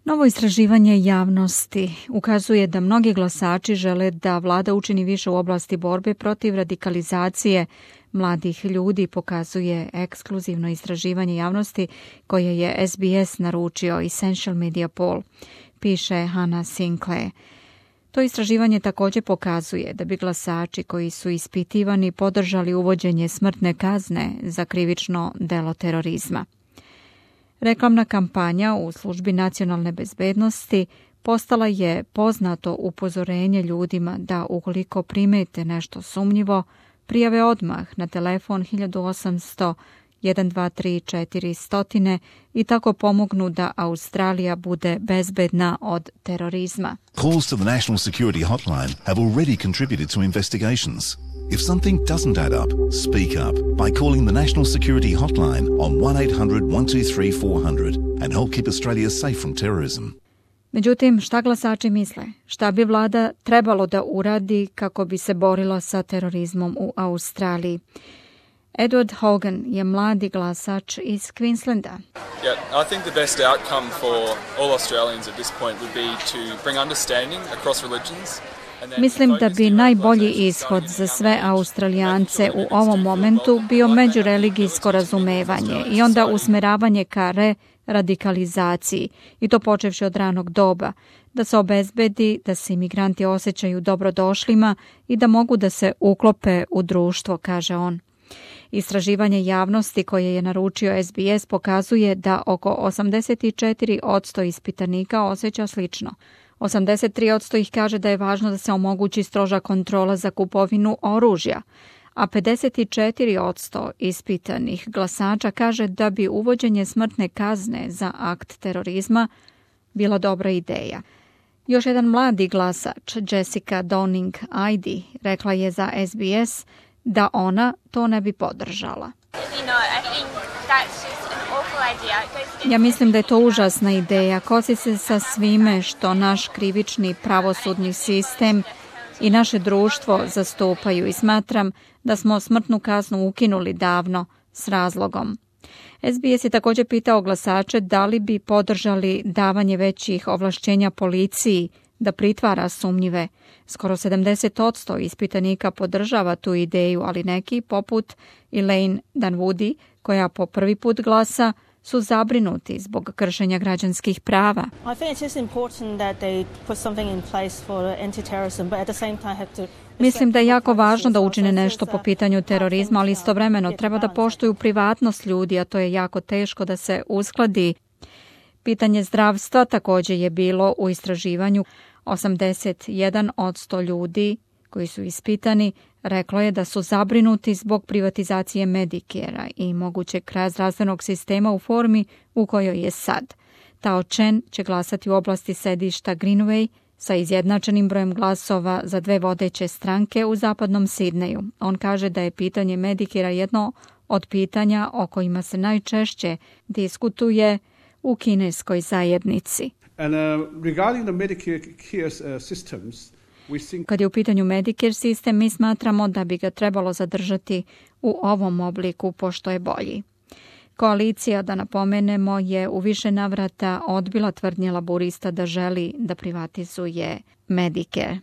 Novo istraživanje javnosti ukazuje da mnogi glasači žele da vlada učini više u oblasti borbe protiv radikalizacije mladih ljudi, pokazuje ekskluzivno istraživanje javnosti koje je SBS naručio Essential Media Poll, piše Hannah Sinclair. To istraživanje također pokazuje da bi glasači koji su ispitivani podržali uvođenje smrtne kazne za krivično delo terorizma. Reklamna kampanja u službi nacionalne bezbednosti postala je poznato upozorenje ljudima da ukoliko primete nešto sumnjivo, prijave odmah na telefon 1800 123 400 i tako pomognu da Australija bude bezbedna od terorizma. Calls to the National Security Hotline have already contributed to investigations. If something doesn't add up, speak up by calling the National Security Hotline on 1-800-123-400 and help keep Australia safe from terrorism. Međutim, šta glasači misle? Šta bi vlada trebalo da uradi kako bi se borila sa terorizmom u Australiji? Edward Hogan je mladi glasač iz Queenslanda. I think the best outcome for all Australians at this point would be to bring understanding across religions. Mislim da bi najbolji ishod za sve Australijance u ovom momentu bio međureligijsko razumevanje i onda usmeravanje ka radikalizaciji, i to počevši od ranog doba, da se obezbedi da se imigranti osjećaju dobrodošlima i da mogu da se uklope u društvo, kaže on. Istraživanje javnosti koje je naručio SBS pokazuje da oko 84% ispitanika osjeća slično. 83% ih kaže da je važno da se omogući stroža kontrola za kupovinu oružja, a 54% ispitanih glasača kaže da bi uvođenje smrtne kazne za akt terorizma bila dobra ideja. Još jedan mladi glasač, Jessica Downing-Ide, rekla je za SBS da ona to ne bi podržala. Ja mislim da je to užasna ideja. Kosi se sa svime što naš krivični pravosudni sistem i naše društvo zastupaju i smatram da smo smrtnu kaznu ukinuli davno s razlogom. SBS je također pitao glasače da li bi podržali davanje većih ovlašćenja policiji da pritvara sumnjive. Skoro 70% ispitanika podržava tu ideju, ali neki, poput Elaine Dunwoody, koja po prvi put glasa, su zabrinuti zbog kršenja građanskih prava. Mislim da je jako važno da učine nešto po pitanju terorizma, ali istovremeno treba da poštuju privatnost ljudi, a to je jako teško da se uskladi. Pitanje zdravstva također je bilo u istraživanju. 81% ljudi koji su ispitani reklo je da su zabrinuti zbog privatizacije Medicare-a i mogućeg kraja zdravstvenog sistema u formi u kojoj je sad. Tao Chen će glasati u oblasti sedišta Greenway sa izjednačenim brojem glasova za dve vodeće stranke u zapadnom Sidneju. On kaže da je pitanje Medicare-a jedno od pitanja o kojima se najčešće diskutuje u kineskoj zajednici. Regarding the Medicare systems, kad je u pitanju Medicare sistem, mi smatramo da bi ga trebalo zadržati u ovom obliku pošto je bolji. Koalicija, da napomenemo, je u više navrata odbila tvrdnje laburista da želi da privatizuje Medicare.